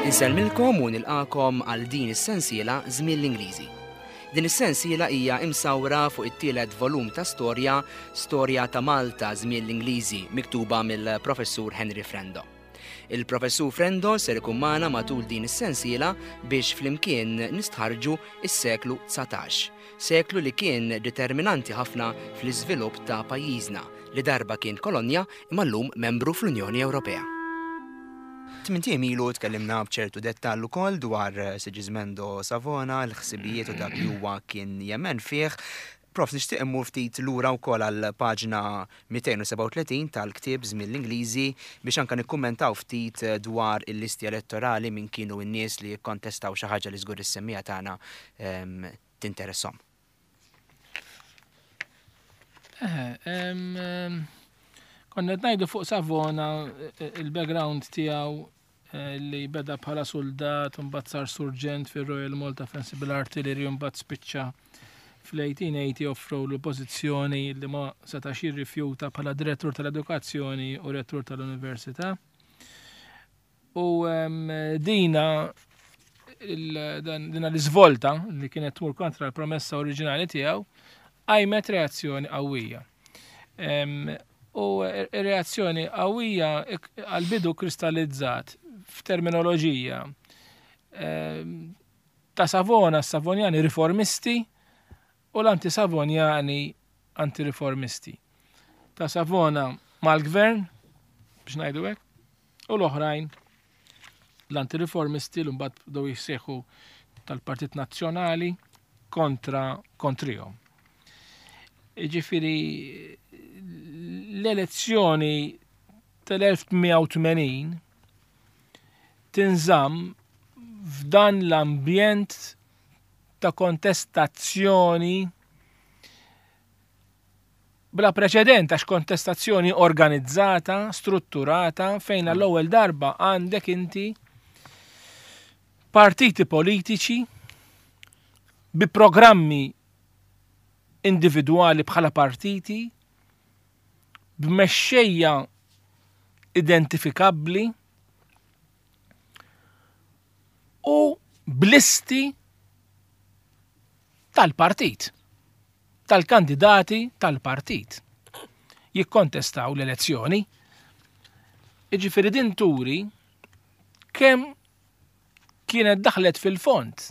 Insellmilkom u nilqakom għal din is-sensiela Żmien l-Ingliżi. Din is-sensiela hija imsawra fuq it-tielet volum ta' storja, Storja ta' Malta Żmien l-Ingliżi, miktuba mill-Professur Henry Frendo. Il-Professur Frendo ser ikun magħna matul din is-sensiela biex flimkien nistħarrġu s-seklu 19, seklu li kien determinanti ħafna fl-iżvilupp ta' pajjiżna li darba kien kolonja imma llum membru fl-Unjoni Ewropea. Tmint ijiem ilu tkellimna b'ċertu dettall ukoll dwar Sigismendo Savona, l-ħsibijiet u dak li huwa kien jemmen fih. Prof, nixtieq immur ftit lura wkoll għal paġna 237 tal-ktieb Żmien l-Ingliżi biex anke nikkummentaw ftit dwar il-listi elettorali min kienu n-nies li kkontestaw xi ħaġa li żgur is-semmiegħa tagħna tinteresshom. Konna qed ngħidu fuq Savona il-background tiegħu eh, li beda bħala suldat, mbagħad sar surġent fir-Royal Malta Fencible Artillery, mbagħad spiċċa fl-1880 offrow l pożizzjoni li ma setax jirrifjuta bħala direttur tal-edukazzjoni u rettur tal-università. U dina dina l-iżvolta li kienet tmur kontra l-promessa oriġinali tiegħu qajmet reazzjoni qawwija. U reazzjoni qawwija għal-bidu kristallizzat f'terminoloġija ta' Savona, Savonjani riformisti u l-anti-Savonjani anti-riformisti. Ta' Savona mal-gvern, biex ngħidu hekk, u l-oħrajn l-anti-riformisti l mbagħad bdew jissejħu tal-Partit Nazzjonali kontra kontrihom. Ġifieri l-elezzjoni tal-1880 tinżamm f'dan l-ambjent ta' kontestazzjoni bla preċedent għax kontestazzjoni organizzata, strutturata, fejn għall-ewwel darba għandek inti partiti politiċi bi programmi individwali bħala partiti, b'mexxejja identifikabbli u b'listi tal-partit. tal-kandidati tal-partit jikkontestaw l-elezzjoni. Jiġifieri din turi kemm kienet daħlet fil-fond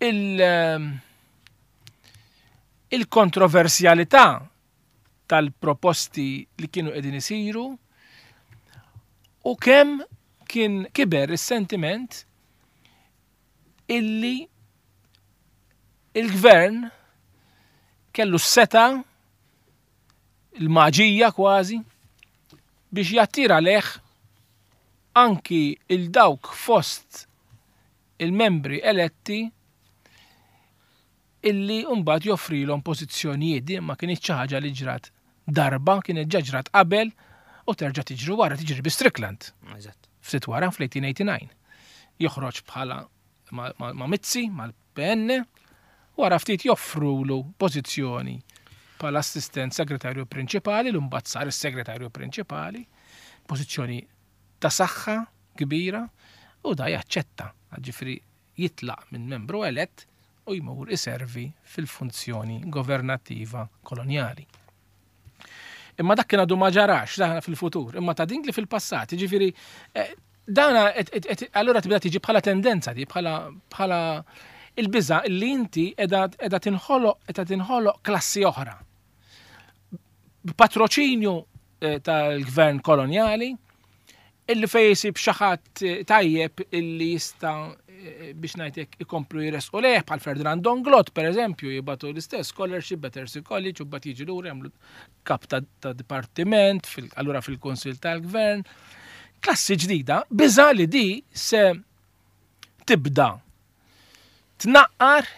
il- il-kontroversjalità tal-proposti li kienu qegħdin isiru u kemm kien kiber is-sentiment illi il-gvern kellu s-seta il-maġija kważi biex jattira leħ anki il-dawk fost il-membri eletti illi mbagħad joffrilhom pożizzjonijiet din ma kinitx xi ħaġa li ġrat darba, kienet ġa ġrat qabel u terġa' tiġri wara, tiġri bi Strickland. Ftit wara fl-1889. Joħroġ bħala ma' Mizzi, mal-PN, wara ftit joffrulu pożizzjoni bħala assistent segretarju prinċipali, l mbagħad sar is-segretarju prinċipali, pożizzjoni ta' saħħa kbira, u da jaċċetta, ġifri jitlaq minn membru elett u jmur iservi fil-funzjoni governattiva kolonjali. Imma dak kien għadu ma ġarax, dan fil-futur, imma ta' din li fil-passat, ġifiri, eh, dana allura tibda tiġi bħala tendenza di, bħala il-biża li inti edha tinħoloq edha tinħoloq klassi oħra. B'patroċinju eh, tal-gvern kolonjali, illi fej jisib xi ħadd eh, tajjeb illi jista' eh, biex ngħidlek ikomplu jresqu leh bħal Ferdinand Donglot pereżempju jibatu l-istess scholarship Battersea College u mbagħad jiġi lura jagħmlu kap ta', ta dipartiment fil, allura fil-Kunsill tal-Gvern. Klassi ġdida, biża li di se tibda tnaqqar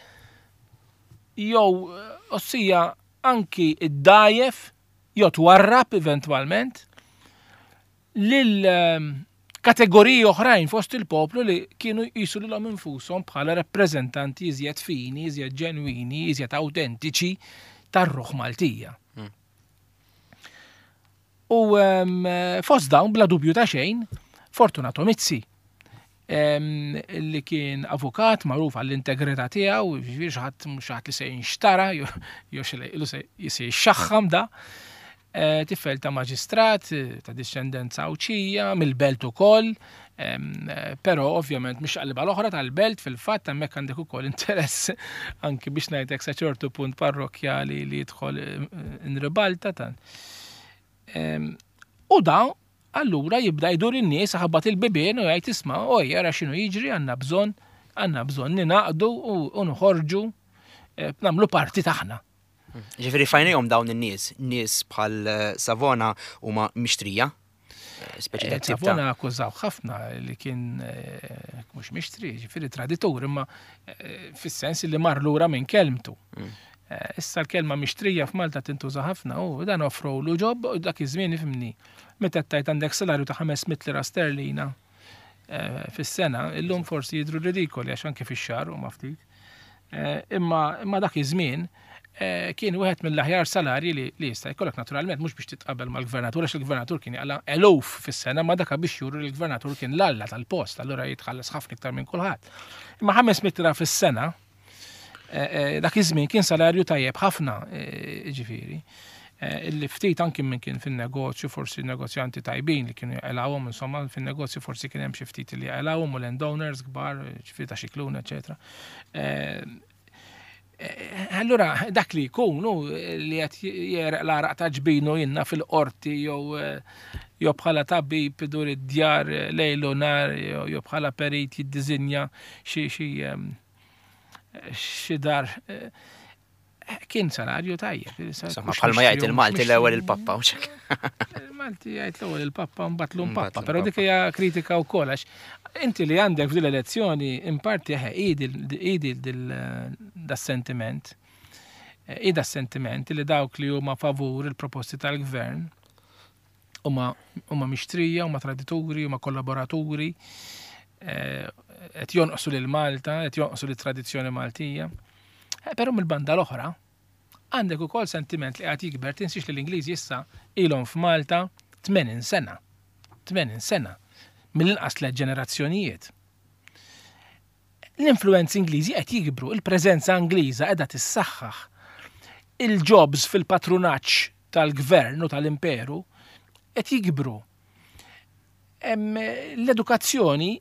jew eh, ossija anki id-dajef jew twarrab eventwalment lil ehm, kategoriji oħrajn fost il-poplu li kienu jqisu lilhom infushom bħala rappreżentanti iżjed fini, iżjed ġenwini, iżjed autentiċi tar-ruħ Maltija. Hmm. U ehm, fost dawn bla dubju ta' xejn, Fortunato Mizzi, li kien avukat magħruf għall-integrità tiegħu, jiġifieri xi ħadd mhux xi ħadd li se jinxtara jew xi li se jixxaħħam da. Eh, tifel ta' maġistrat, ta' discendenza Għawdxija, mill-belt ukoll, eh, però ovvjament mhix qalba l-oħra tal-belt fil-fatt hemmhekk għandek ukoll interess anki biex ngħidlek sa ċertu punt parrokkjali li jidħol eh, inribalta tan. U da allura jibda jdur in-nies ħabbat il-bibien u jgħid isma' oj ara x'inhu jiġri għandna bżonn għandna bżonn ninaqdu u nħorġu nagħmlu parti taħna. Ġifieri fajnejhom dawn in-nies, nies bħal eh, Savona huma mixtrija. Eh, speċi ta' eh, Savona akkużaw ħafna li kien mhux mixtri, ġifieri traditur, imma fis-sens li mar lura minn kelmtu. Mm. Issa l-kelma mixtrija f'Malta tintuża ħafna u dan offrowlu ġob u dak iż-żmien ifhimni. Meta tajt għandek salarju ta' 500 lira sterlina fis-sena, illum forsi jidru ridikoli għax anke fix-xahar huma ftit. Eh, imma imma dak iż-żmien eh, kien wieħed mill-aħjar salarji li jista' jkollok naturalment mhux biex titqabel mal-gvernatur għax il-gvernatur kien jaqla eluf fis-sena ma daka biex juru li l-gvernatur kien l-alla tal-post, allura jitħallas ħafna iktar minn kulħadd. Imma 500 lira fis-sena eh, dak iż-żmien kien salarju tajjeb ħafna ġifieri. Illi ftit anki minn kien fin-negozju, forsi negozjanti tajbin li kienu jaqilgħuhom, insomma, fin-negozju forsi kien hemm xi ftit li jaqilgħuhom u landowners kbar, ġifieri ta' xikluna, eċetera. Eh, eh, allura dak li jkun hu li qed jereq l-għaraq ta' ġbinu jinna fil-qorti jew eh, jew bħala tabib idur id-djar lejl u nar jew bħala perit jiddiżinja xi xi xi dar Kien salarju tajjeb. Insomma, bħalma jgħid il-Malti l-ewwel il-pappa u Il-Malti jgħid l-ewwel il-pappa u mbagħad l pappa, però dik hija kritika wkoll għax inti li għandek f'din l-elezzjoni in parti eħe idi das-sentiment. Ida sentiment li dawk li huma favur il-proposti tal-gvern huma huma mixtrija, huma tradituri, huma kollaboraturi, eh, qed jonqsu lil Malta, qed jonqsu lit-tradizzjoni Maltija. Eh, però mill-banda l-oħra, għandek ukoll sentiment li qed jikber tinsiex li l-Ingliżi issa ilhom f'Malta 80 sena. 80 sena. Mill-inqas tliet ġenerazzjonijiet. L-influenzi Ingliżi qed jikbru, il-preżenza Ingliża qiegħda tissaħħaħ. Il-jobs fil-patrunaġġ tal-gvern u tal-imperu qed jikbru. L-edukazzjoni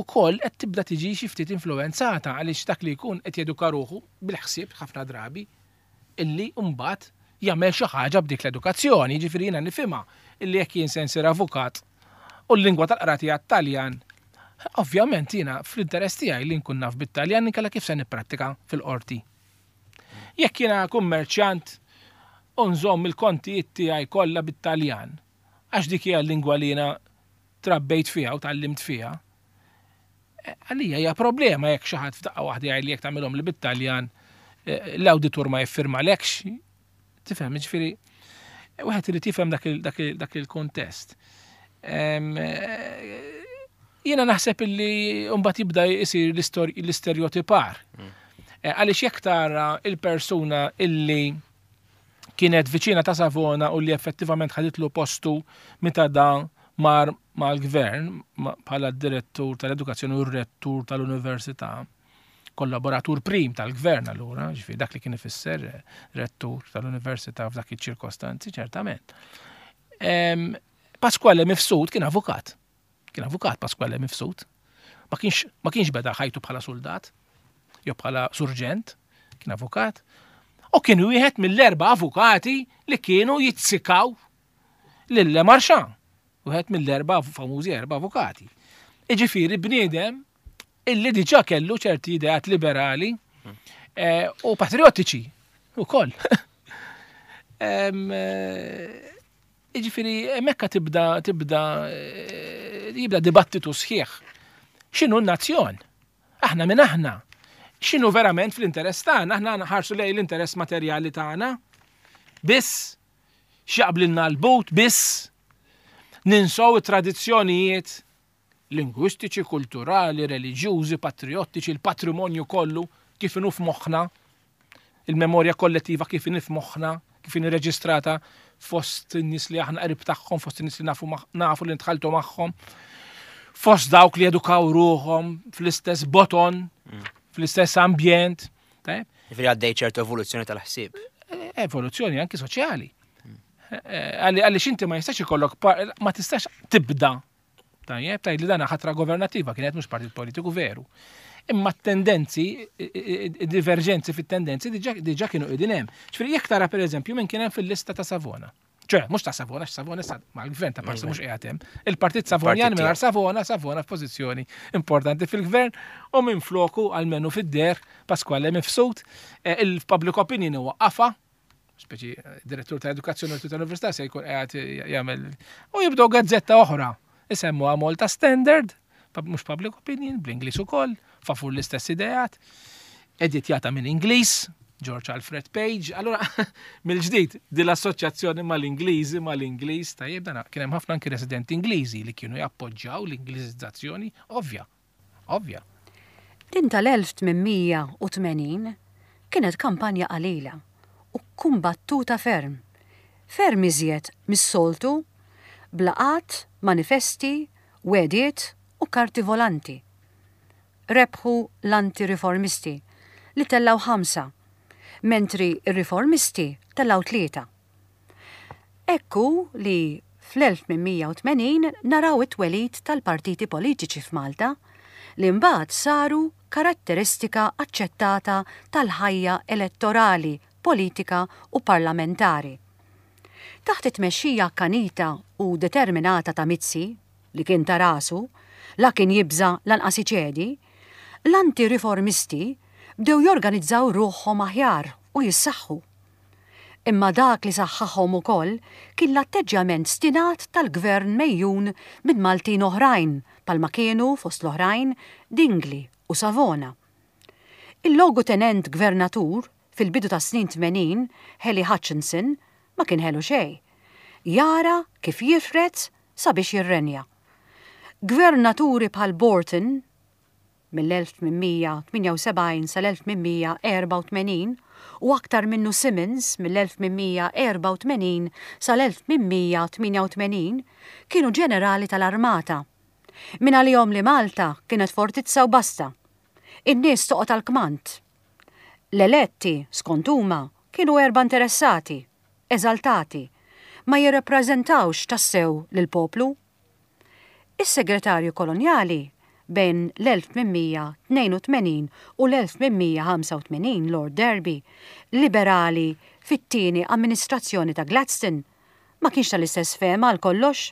ukoll qed tibda tiġi xi ftit influwenzata għaliex dak li jkun qed jeduka ruħu bil-ħsieb ħafna drabi illi mbagħad jagħmel xi ħaġa b'dik l-edukazzjoni, jiġifieri jiena nifhimha illi jekk jien se nsir avukat u l-lingwa tal-qrati hija t-Taljan, ovvjament jiena fl-interess tiegħi li nkun naf bit-Taljan inkella kif se nipprattika fil-qorti. Jekk jiena kummerċjant u nżomm il-kontijiet tiegħi kollha bit-Taljan, għax dik hija l-lingwa li jiena trabbejt fiha u tgħallimt fiha, eh, għalija hija problema jekk xi ħadd f'daqqa waħda jgħid li jekk tagħmilhom li bit-Taljan eh, l-awditur ma jiffirmalekx. Tifhem, ġifieri wieħed irid jifhem dak il-kontest. Eh, jiena naħseb illi mbagħad jibda jsir l-istereotipar. Mm. Għaliex jekk tara il-persuna illi kienet viċina ta' Savona u li effettivament ħaditlu postu meta da mar mal-gvern bħala direttur tal-edukazzjoni u rettur tal-università, kollaboratur prim tal-gvern allura, ġifieri dak li kien ifisser eh, rettur tal-università f'dak iċ-ċirkostanzi, ċertament. Pasquale Mifsud kien avukat. Kien avukat Pasquale Mifsud. Ma kienx ma kienx beda ħajtu bħala soldat jew bħala surġent, kien avukat. U kien wieħed mill-erba' avukati li kienu jitzikaw lil Le Marchand. Wieħed mill-erba' famużi erba' avukati. Iġifieri bniedem illi diġà kellu ċerti ideat liberali eh, u patriottiċi ukoll. Eh, jiġifieri hemmhekk tibda tibda eh, jibda dibattitu sħiħ. X'inhu n-nazzjon? Aħna minn aħna. X'inhu verament fl-interess tagħna? Aħna nħarsu lejn l-interess materjali tagħna. Biss x'jaqblilna l-but biss ninsow it-tradizzjonijiet lingwistiċi, kulturali, reliġjużi, patrijottiċi, il-patrimonju kollu kif inhu f'moħħna, il-memorja kollettiva kif inhi f'moħħna, kif inhi reġistrata fost in-nies li aħna qrib tagħhom, fost in-nies li nafu nafu li nitħaltu magħhom. Fost dawk li edukaw ruħhom fl-istess boton, fl-istess ambjent. Ġifieri għaddej ċertu evoluzzjoni tal-ħsieb. E, evoluzzjoni anki soċjali. E, għaliex inti ma jistax ikollok ma tistax tibda Tajjeb, tajt li dana ħatra governativa kienet mhux partit politiku veru. Imma t-tendenzi, diverġenzi fit-tendenzi diġà kienu qegħdin hemm. Ġifieri jekk tara pereżempju minn kien hemm fil-lista ta' Savona. ċe, mhux ta' Savona, Savona issa mal-gvern ta' parti mhux qiegħed hemm. Il-Partit Savonjan mingħajr Savona, Savona f'pożizzjoni importanti fil-gvern u minn floku għalmenu fid-der Pasquale Mifsud, eh, il-public opinion huwa qafa, speċi eh, direttur ta' edukazzjoni u tal-università se jkun qiegħed jagħmel u jibdew gazzetta oħra isemmuha Malta Standard, mhux public opinion, bl-Ingliż ukoll, favur l-istess ideat, editjata minn Ingliż, George Alfred Page, allora mill-ġdid din l-assoċjazzjoni mal-Ingliżi mal-Ingliż tajjeb dan kien hemm ħafna anki residenti Ingliżi li kienu jappoġġjaw l-Ingliżizzazzjoni ovvja, ovvja. Din tal-1880 kienet kampanja qalila u kkumbattuta ferm, ferm iżjed mis-soltu, b'laqgħat, manifesti, wegħdiet u karti volanti. Rebħu l-anti-riformisti li tellgħu ħamsa, mentri r-riformisti tellgħu tlieta. Hekk hu li fl-1880 naraw it-twelid tal-partiti politiċi f'Malta li mbagħad saru karatteristika aċċettata tal-ħajja elettorali, politika u parlamentari. Taħt it-tmexxija akkanita u determinata ta' Mizzi, li kien ta' rasu, la kien jibża' lanqas iċedi, l-anti-riformisti bdew jorganizzaw ruħhom aħjar u jissaħħu. Imma dak li saħħaħhom ukoll kien l-atteġġjament stinat tal-gvern megħjun minn Maltin oħrajn bħalma kienu, fost l-oħrajn, Dingli u Savona. Il-Logutenent Gvernatur fil-bidu tas-snin 80, Hely Hutchinson, ma kien ħelu xejn. Jara kif jifred sabiex jirrenja. Gvernaturi bħal Borton, mill-1878 sal-1884 u aktar minnu Simmons mill-1884 sal-1888 kienu ġenerali tal-armata. Mingħalihom li Malta kienet fortizza u basta. In-nies toqgħod għall-kmand. L-eletti, skont huma, kienu erba' interessati, eżaltati, ma jirrappreżentawx tassew lill-poplu. Is-Segretarju Kolonjali bejn l-1882 u l-1885 Lord Derby, liberali fit-tieni amministrazzjoni ta' Gladstone, ma kienx tal-istess fehma għal kollox.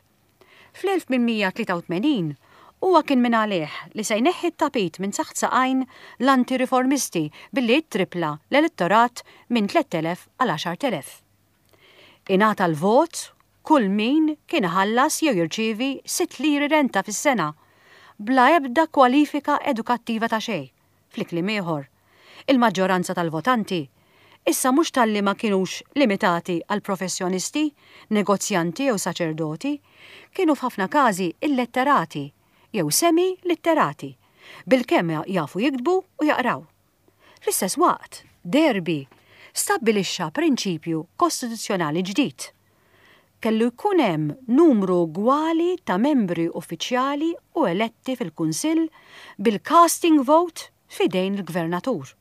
Fl-1883 huwa kien mingħalih li se jneħħi t-tapit minn taħt saqajn l-anti-riformisti billi ttrippla l-elettorat minn 3,000 għal 10,000. Ingħata l-vot kull min kien iħallas jew jirċievi sitt liri renta fis-sena, bla ebda kwalifika edukattiva ta' xejn, fli kliem ieħor, il-maġġoranza tal-votanti issa mhux talli ma kinux limitati għal professjonisti, negozjanti jew saċerdoti, kienu f'ħafna każi illetterati jew semi-litterati, bilkemm jafu jiktbu u jaqraw. Fl-istess waqt, Derby stabbilixxa prinċipju kostituzzjonali ġdid. Kellu jkun hemm numru ugwali ta' membri uffiċjali u eletti fil-Kunsill bil-casting vote f'idejn il-Gvernatur.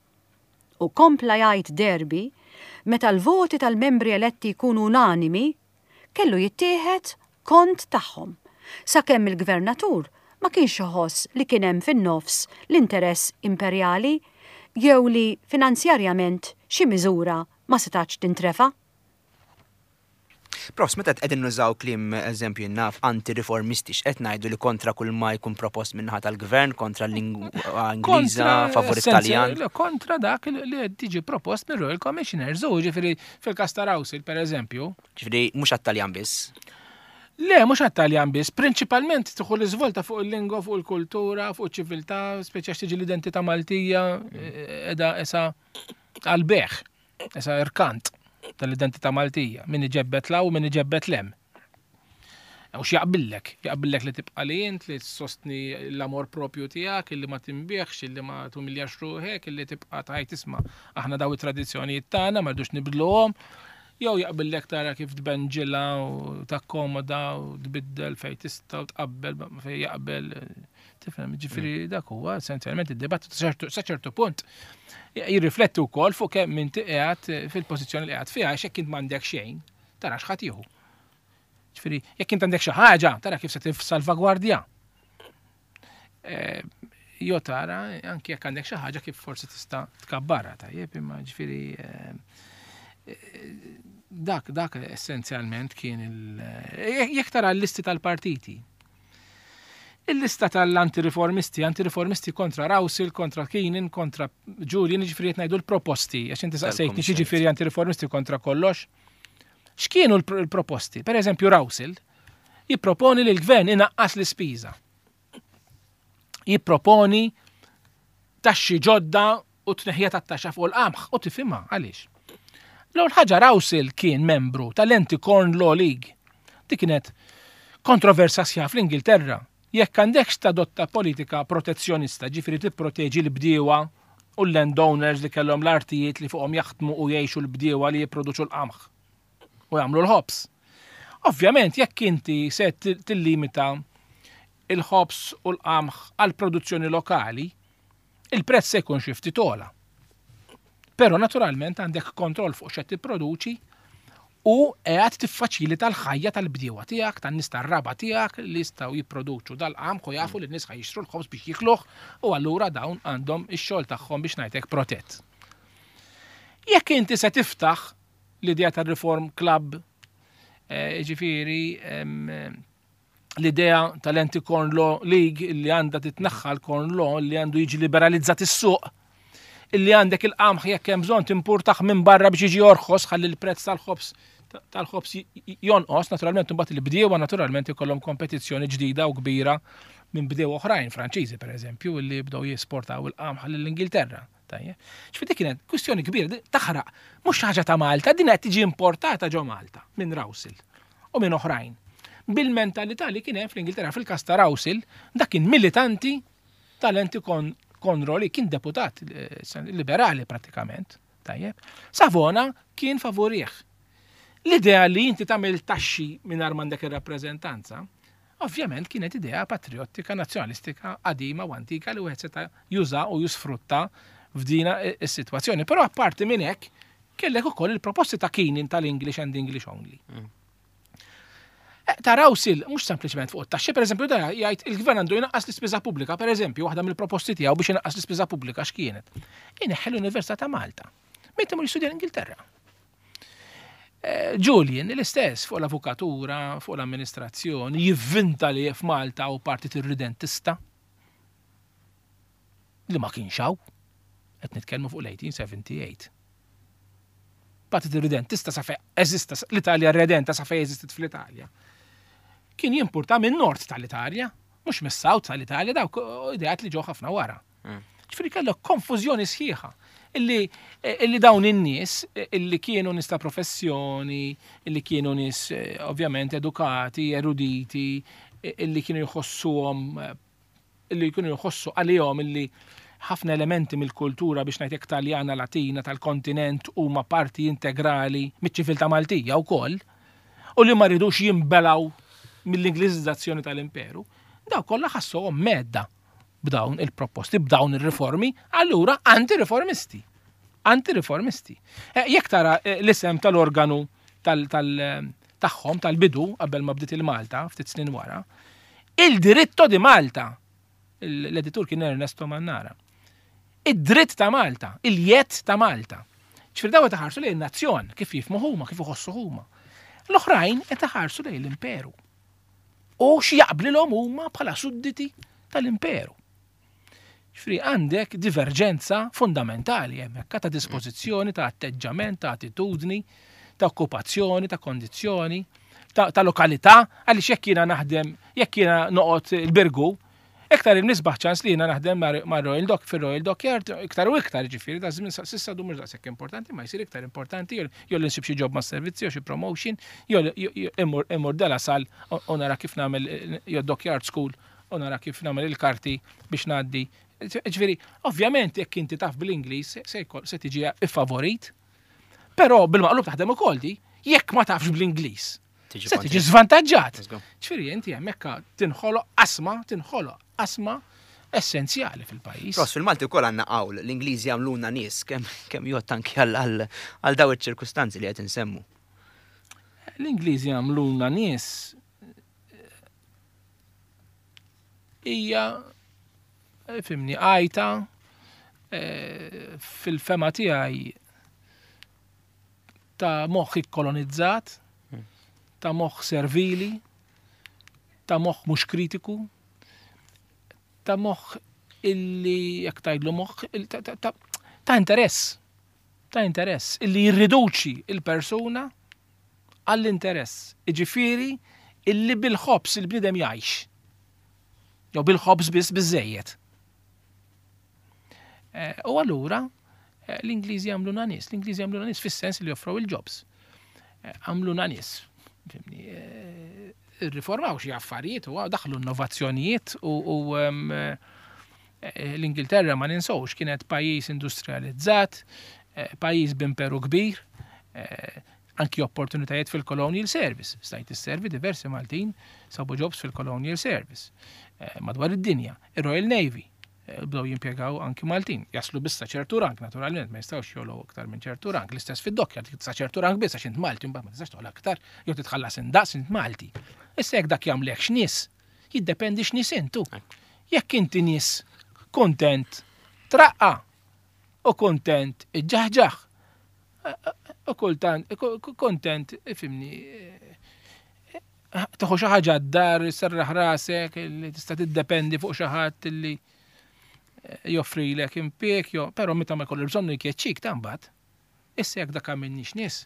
U kompla jgħid Derby, meta l-voti tal-membri eletti jkunu unanimi, kellu jittieħed kont tagħhom, sakemm il-Gvernatur ma kienx iħoss li kien hemm fin-nofs l-interess imperjali jew li finanzjarjament xi miżura ma setgħetx tintrefa'. Profs, meta qegħdin nużaw kliem eżempju naf anti-riformisti x'qed ngħidu li kontra kull ma jkun propost min-naħa tal-gvern, kontra l-lingwa Ingliża, favur it-Taljan? Kontra dak li qed tiġi propost mir-Royal Commissioners, u ġifieri fil-każ ta' Rawsil pereżempju. Ġifieri mhux għat-Taljan biss. Le, mhux għat-Taljan biss, prinċipalment tieħu l-iżvolta fuq il-lingwa, fuq il-kultura, fuq iċ-ċiviltà, speċi għax tiġi l-identità Maltija qiegħda esa għall-bejgħ, esa irkant tal-identità Maltija, min iġebbet 'l hawn u min iġebbet 'l hemm. U x'jaqbillek? Jaqbillek li tibqa' li int, li ssostni l-amor propju tiegħek, illi ma tinbiegħx, illi ma tumiljax ruħek, illi tibqa' tgħid isma' aħna daw it-tradizzjonijiet tagħna ma rridux nibdluhom. Jew jaqbillek tara kif tbenġilha u takkomoda u tbiddel fejn tista' u tqabbel fejn jaqbel. Tifhem, ġifieri mm. dak huwa essenzjalment id-dibattitu sa ċertu punt jirrifletti wkoll fuq kemm inti qiegħed fil-pożizzjoni li qiegħed fiha għax jekk int m'għandek xejn, tara x'ħadd jieħu. Ġifieri, jekk int għandek xi ħaġa, tara kif se tifsalvagwardja. Eh, jo tara, anki jekk għandek xi ħaġa kif forsi tista' tkabbarha tajjeb, imma ġifieri eh, eh, dak dak essenzjalment kien il jekk tara l-listi tal-partiti. Il-lista tal-antireformisti, antireformisti kontra Rawsil, kontra Keenan, kontra Julian, ġifieri qed ngħidu l-proposti, għax inti saqsejtni xi ġifieri antireformisti kontra kollox. X'kienu l-proposti? Per eżempju Rawsil jipproponi li l-gvern inaqqas l-ispiża. Jipproponi taxxi ġodda u tneħħija tat-taxxa fuq il-qamħ u tifhimha għaliex. L-ewwel ħaġa Rawsil kien membru tal-Anti Corn Law League. Dik kienet kontroversa sħiħa fl-Ingilterra. Jekk għandekx tadotta politika protezzjonista, ġifieri tipproteġi l-bdiewa u l-landowners li kellhom l-artijiet li fuqhom jaħdmu u jgħixu l-bdiewa li jipproduċu l-qamħ u jagħmlu l-ħobż. Ovvjament jekk inti se tillimita il-ħobż u l-qamħ għal produzzjoni lokali, il-prezz se jkun xi ftit ogħla. Però naturalment għandek kontroll fuq x'qed tipproduċi u qiegħed tiffaċilita l-ħajja tal-bdiewa tiegħek, tan-nies tar-raba' tiegħek li jistgħu jipproduċu dal-qamħ u jafu li n-nies ħa jixtru l-ħobż biex jikluh u allura dawn għandhom ix-xogħol tagħhom biex ngħidlek protett. Jekk inti se tiftaħ l-idea tar-Reform Club, eh, ġifieri l-idea tal-Anti-Corn Law League li għandha titnaħħa l-Corn Law li għandu jiġi liberalizzat is-suq illi għandek il-qamħ jekk hemm bżonn timpurtaħ minn barra biex jiġi orħos ħalli l-prezz tal-ħobż tal-ħobż jonqos, naturalment imbagħad il-bdiewa naturalment ikollhom kompetizzjoni ġdida u kbira minn bdiewa oħrajn, Franċiżi pereżempju, illi bdew jesportaw il-qamħ lill-Ingilterra. Tajjeb. Ġifieri dik kienet kwistjoni kbira, taħraq, mhux xi ħaġa ta' Malta, din qed tiġi importata ġo Malta minn Rawsil u minn oħrajn. Bil-mentalità li kien hemm fl-Ingilterra fil-każ ta' Rawsil, dak kien militanti tal-Anti Conro li kien deputat eh, liberali pratikament. Tajjeb. Savona kien favorih. L-idea li inti tagħmel taxxi mingħajr m'għandek ir-rappreżentanza, Ovvjament kienet idea patrijottika nazzjonalistika qadima u antika li wieħed seta' juża u jisfrutta f'dina s-sitwazzjoni. Però apparti minn hekk kellek ukoll il-proposti ta' Keenan tal-English and English only. Mm. Eh, ta' Rawsil, mhux sempliċement fuq it-taxxi, pereżempju da jgħid il-gvern għandu jnaqqas l-ispiża pubblika, pereżempju, waħda mill-proposti tiegħu biex inaqqas l-ispiża pubblika x'kienet. Ineħħi l-Università ta' Malta. Meta mur jistudja l-Ingilterra. Eh, Julian, l-istess fuq l-avukatura, fuq l-amministrazzjoni, jivvinta li f'Malta u partit irridentista li ma kienx hawn. Qed nitkellmu fuq l-1878. Partit irridentista sa fejn eżista l-Italja redenta sa fejn eżistit fl-Italja. Kien jimpurta minn nord tal-Italja, mhux mis-south tal-Italja, dawk ideat li ġew ħafna wara. Mm. Ġifieri kellek konfużjoni sħiħa illi, illi dawn in-nies illi kienu nies ta' professjoni, illi kienu nies eh, ovvjament edukati, eruditi, illi kienu jħossuhom illi kienu jħossu għalihom illi ħafna elementi mill-kultura biex ngħidlek Taljana Latina tal-kontinent huma parti integrali miċ-ċiviltà Maltija wkoll u li ma ridux jinbelgħu mill-Ingliżizzazzjoni tal-Imperu, daw kollha ħassuhom medda b'dawn il-proposti, b'dawn ir-riformi, allura anti-riformisti. Anti-riformisti. Eh, jekk tara eh, l-isem tal-organu tagħhom tal-bidu qabel ma bdiet il-Malta ftit snin wara, il-diritto di Malta, l-editur kien Ernesto Mannara. Id-dritt ta' Malta, il-jett ta' Malta. Ġifieri daw qed iħarsu lejn nazzjon kif jifmu huma, kif iħossu huma. L-oħrajn qed iħarsu lejn l-imperu. U x'jaqblilhom huma bħala sudditi tal-imperu. Ġifieri għandek diverġenza fundamentali hemmhekk ta' dispożizzjoni, ta' atteġġament, ta' attitudni, ta' okkupazzjoni, ta' kondizzjoni, ta', ta lokalità, għaliex jekk jiena naħdem, jekk jiena noqgħod il-Birgu, Iktar il-misbaħ ċans li jiena naħdem ma' Royal Dock fir-Royal Dockyard, iktar u iktar ġifieri, da żmien s'issa du mhux daqshekk importanti, ma jsir iktar importanti, jew li nsib xi job mas-servizzi jew xi promotion, jew immur De La Salle u nara kif nagħmel jew Dockyard School u nara kif nagħmel il-karti biex ngħaddi. Ġifieri, ovvjament jekk inti taf bl-Ingliż se tiġi iffavorit, però bil-maqlub taħdem ukoll di. Jekk ma tafx bl-Ingliż, se tiġi żvantaġġat. Ġifieri inti hemmhekk tinħoloq qasma, tinħoloq qasma essenzjali fil-pajjiż. Ross, fil-Malti wkoll għandna qawl, l-Ingliżi għamluna nies kemm kemm jgħodd anki għal daw iċ-ċirkustanzi li qed insemmu. L-Ingliżi għamluna nies hija fimni għajta eh, fil-fema tiegħi ta' moħħ ikkolonizzat, ta' moħħ servili, ta' moħħ mhux kritiku, ta' moħħ illi jekk tgħidlu moħħ ta' interess, ta' interess illi jirriduċi il-persuna għall-interess. Iġifieri illi bil-ħobż il-bniedem jgħix. Jew bil-ħobż biss biżejjed. Eh, u allura eh, l-Ingliżi għamluna nies, l-Ingliżi għamluna nies fis-sens li joffrow il-jobs. Eh, għamluna nies. Irriformaw xi affarijiet u daħlu innovazzjonijiet u l-Ingilterra ma ninsewx kienet pajjiż industrializzat, pajjiż b'imperu kbir, anki opportunitajiet fil-Colonial Service. Stajt isservi diversi Maltin sabu jobs fil-Colonial Service madwar id-dinja. Ir-Royal Navy, bdew jimpjegaw anki Maltin. Jaslu biss sa ċertu rank, naturalment, ma jistgħux jogħlew aktar minn ċertu rank. L-istess fid-dokkja, sa ċertu rank biss għax int Malti, mbagħad ma tistax toqgħod aktar, jew titħallas indaqs int Malti. Issa jekk dak jagħmlek x'nies, jiddependi x'nies intu. Jekk inti nies kuntent traqqa u kuntent iġġaħġaħ, u kultant kontent, ifimni, tieħu xi ħaġa d-dar, serraħ rasek, li tista' tiddependi fuq xi ħadd li eh, joffrilek impjieg, jo, però meta ma jkollu bżonnu jkeċċik ta' mbagħad. Issa jekk dak għamilniex nies.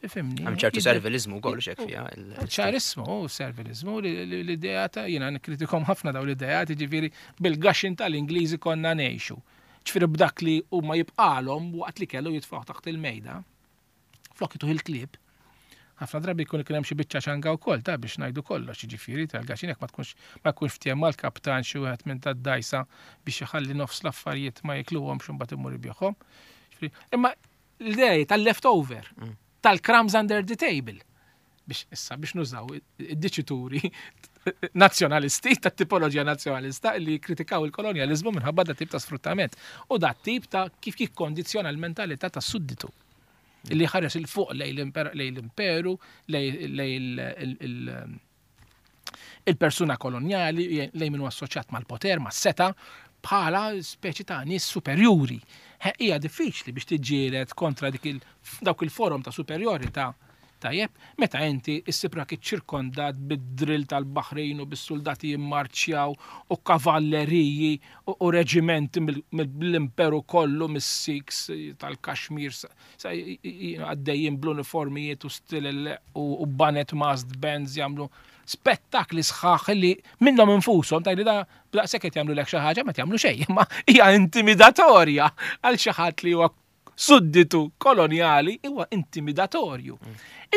Ifimni. Hemm ċertu servilizmu wkoll xek fiha. Ċarismu, servilizmu, l-idea ta' jiena nikkritikom ħafna daw l-idea, jiġifieri bil-gaxin tal-Ingliżi konna ngħixu. Ġifieri b'dak li huma jibqalhom waqt li kellu jitfgħu taħt il-mejda. Flok ituh il-klieb. Ħafna drabi jkun kien hemm xi biċċa ċanga wkoll ta' biex ngħidu kollox, jiġifieri tal-gaxin jekk ma tkunx ma jkunx ftiehem mal-kaptan xi wieħed minn tad-dgħajsa biex iħalli nofs l-affarijiet ma jikluhomx u mbagħad imur ibigħhom. Imma l-idea tal-leftover, mm. tal-crumbs under the table. Biex issa biex nużaw id-diċituri nazzjonalisti, ta' tipoloġija nazzjonalista li kritikaw il-kolonjalizmu minħabba da tip ta' sfruttament u da tip ta' kif jikkondizzjona l-mentalità ta' sudditu li ħares il fuq lej l-imperu, lej il-persuna kolonjali, lej minu assoċjat mal-poter, mas-seta, bħala speċi ta' nies superjuri. Hija diffiċli biex tiġġieled kontra dik dawk il-forom ta' superjorità tajjeb, meta inti issib rak iċċirkondat bid-drill tal-baħrin u bis-suldati jimmarċjaw u kavalleriji u reġimenti mill-imperu kollu mis-Sikhs tal-Kashmir għaddejjin bl-uniformijiet u stilel u banet masked bands jagħmlu spettakli sħaħ li minnhom infushom tgħidli da b'daqshekk qed jagħmlulek xi ħaġa ma jagħmlu xejn, imma hija intimidatorja għal xi ħadd li huwa sudditu kolonjali huwa intimidatorju.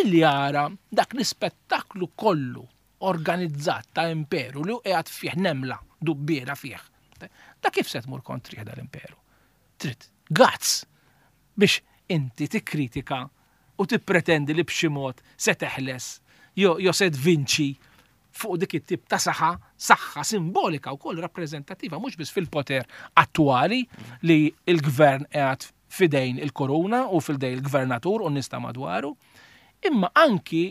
Illi jara dak l-ispettaklu kollu organizzat ta' imperu li qiegħed fih nemla dubbiena fih. Da kif se tmur kontrih dal-imperu? Trid guts biex inti tikkritika u tippretendi li b'xi mod se teħles jew se tvinċi fuq dik it-tip ta' saħħa, saħħa simbolika wkoll rappreżentattiva mhux biss fil-poter attwali li l-gvern qiegħed f'idejn il-kuruna u f'idejn il-gvernatur u n-nies ta' madwaru, imma anki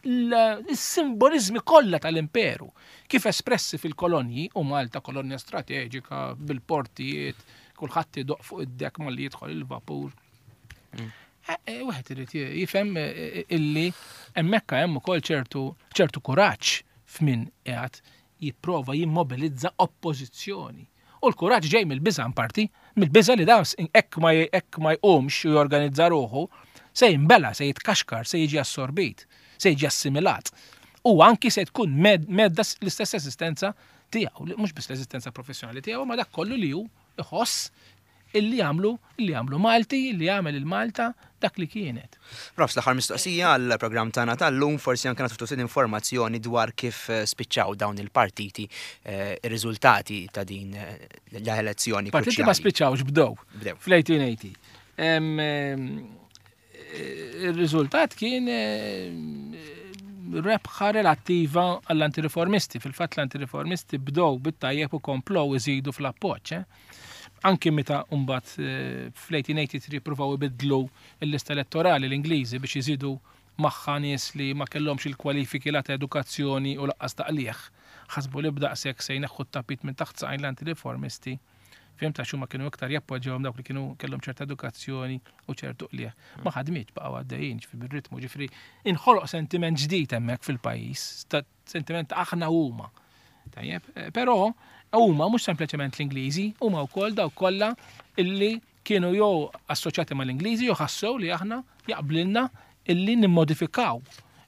l-simboliżmi kollha tal-imperu kif espressi fil-kolonji u Malta kolonja strateġika bil-portijiet, kulħadd idoq fuq id-dek malli jidħol il-vapur. Mm. Eh, eh, wieħed irid jifhem eh, illi hemmhekk hemm ukoll ċertu ċertu kuraġġ f'min qiegħed jipprova jimmobilizza oppożizzjoni. U l-kuraġġ ġej mill-biża' parti, mill-biża' li dan hekk ma hekk ma jqumx u jorganizza ruħu, se jinbela, se jitkaxkar, se jiġi assorbit, se jiġi assimilat. U anki se tkun medda l-istess eżistenza tiegħu, mhux biss l-eżistenza professjonali tiegħu, ma dak kollu li hu iħoss illi jagħmlu illi jagħmlu Malti, illi jagħmel il-Malta dak li kienet. Profs, l-aħħar mistoqsija għall-programm tagħna tal-lum forsi anke nagħtu ftit informazzjoni dwar kif eh, spiċċaw dawn il-partiti eh, ir-riżultati ta' din eh, l-elezzjoni. Partiti ma spiċċawx bdew. Bdew. Fl-1880. Ir-riżultat kien eh, rebħa relattiva għall-antireformisti. Fil-fatt l-antireformisti bdew bit-tajjeb u komplow iżidu fl-appoġġ. Eh. Anki meta mbagħad eh, fl-1883 pruvaw ibiddlu l-lista elettorali l-Ingliżi biex iżidu magħha nies li ma kellhomx il-kwalifiki la ta' edukazzjoni u laqqas ta' qligħ. Ħasbu li b'daqshekk se jneħħu t-tapit minn taħt saqajn l-antireformisti. Fhimt għax huma kienu iktar jappoġġjawhom dawk li kienu kellhom ċerta edukazzjoni u ċertu qligħ. Ma ħadmitx baqgħu għaddejjin ġifieri bir-ritmu, ġifieri inħoloq sentiment ġdid hemmhekk fil-pajjiż, sentiment ta' aħna huma. Tajjeb, eh, però huma mhux sempliċement l-Ingliżi, huma wkoll dawk kollha illi kienu jew assoċjati mal-Ingliżi jew ħassew li aħna jaqblilna illi nimmodifikaw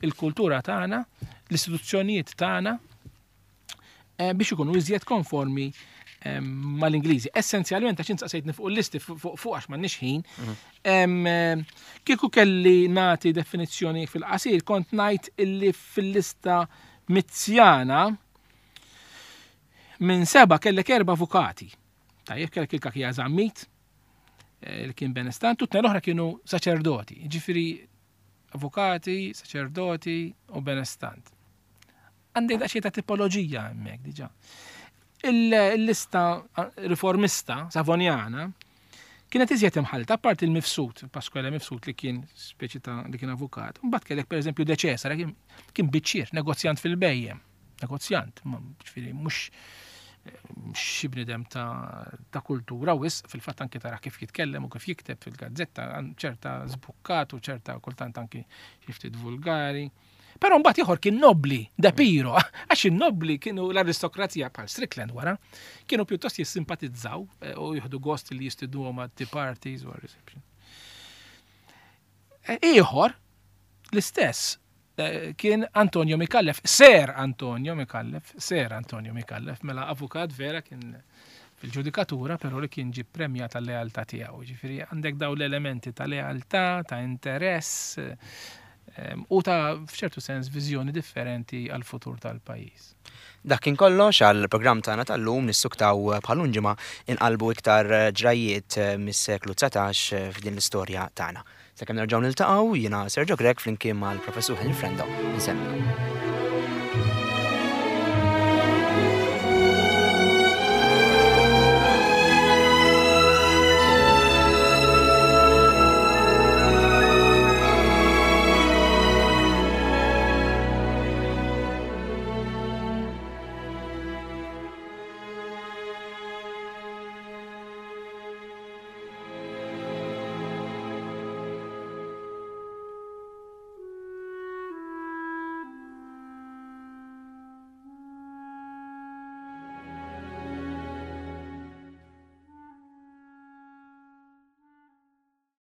il-kultura tagħna, l-istituzzjonijiet tagħna eh, biex ikunu iżjed konformi eh, mal-Ingliżi. Essenzjalment għax insaqsejtni fuq il-listi fuq għax m'għandniex ħin. Mhm. Eh, kieku kelli nagħti definizzjoni fil-qasir kont ngħid illi fil-lista Mizzjana minn seba kellek erba' avukati. Tajjeb kellek il-Kakija Zammit, li kien benestant, u t l-oħra kienu saċerdoti, ġifiri avukati, saċerdoti u benestant. Għandek daqsxejn ta' tipoloġija hemmhekk diġà. Il-lista riformista Savonjana kienet iżjed imħallta, apparti il-Mifsud, Pasquale Mifsud li kien speċi ta' li kien avukat. Mbagħad kellek pereżempju De Cesare kien biċċier, negozjant fil-bejjem, negozjant, ġifieri mhux xi bniedem ta', ta kultura wisq, fil-fatt anki tara kif jitkellem u kif jikteb fil-gazzetta, ċerta żbukkat u ċerta kultant anki xi ftit vulgari. Però mbagħad ieħor kien nobbli, De Piro, għax in-nobbli kienu l-aristokrazija bħal Strickland wara, kienu pjuttost jissimpatizzaw eh, u jieħdu gost li jistidnuhom għat tea parties u reception. Eh, ieħor, l-istess, eh, kien Antonio Mikallef, Ser Antonio Mikallef, Ser Antonio Mikallef, mela avukat vera kien fil-ġudikatura, però li kien ġie premjat tal-lealtà tiegħu. Ġifieri għandek daw l-elementi ta' lealtà, ta' interess u ta' f'ċertu sens viżjoni differenti għall-futur tal-pajjiż. Dak kien kollox għall-programm tagħna tal-lum nissuktaw bħal ġimgħa inqalbu iktar ġrajjiet mis-seklu 19 f'din l-istorja tagħna. Sakemm nerġgħu niltaqgħu jiena Sergio Grech flimkien mal-Professur Henry Frendo. Insellmilkom.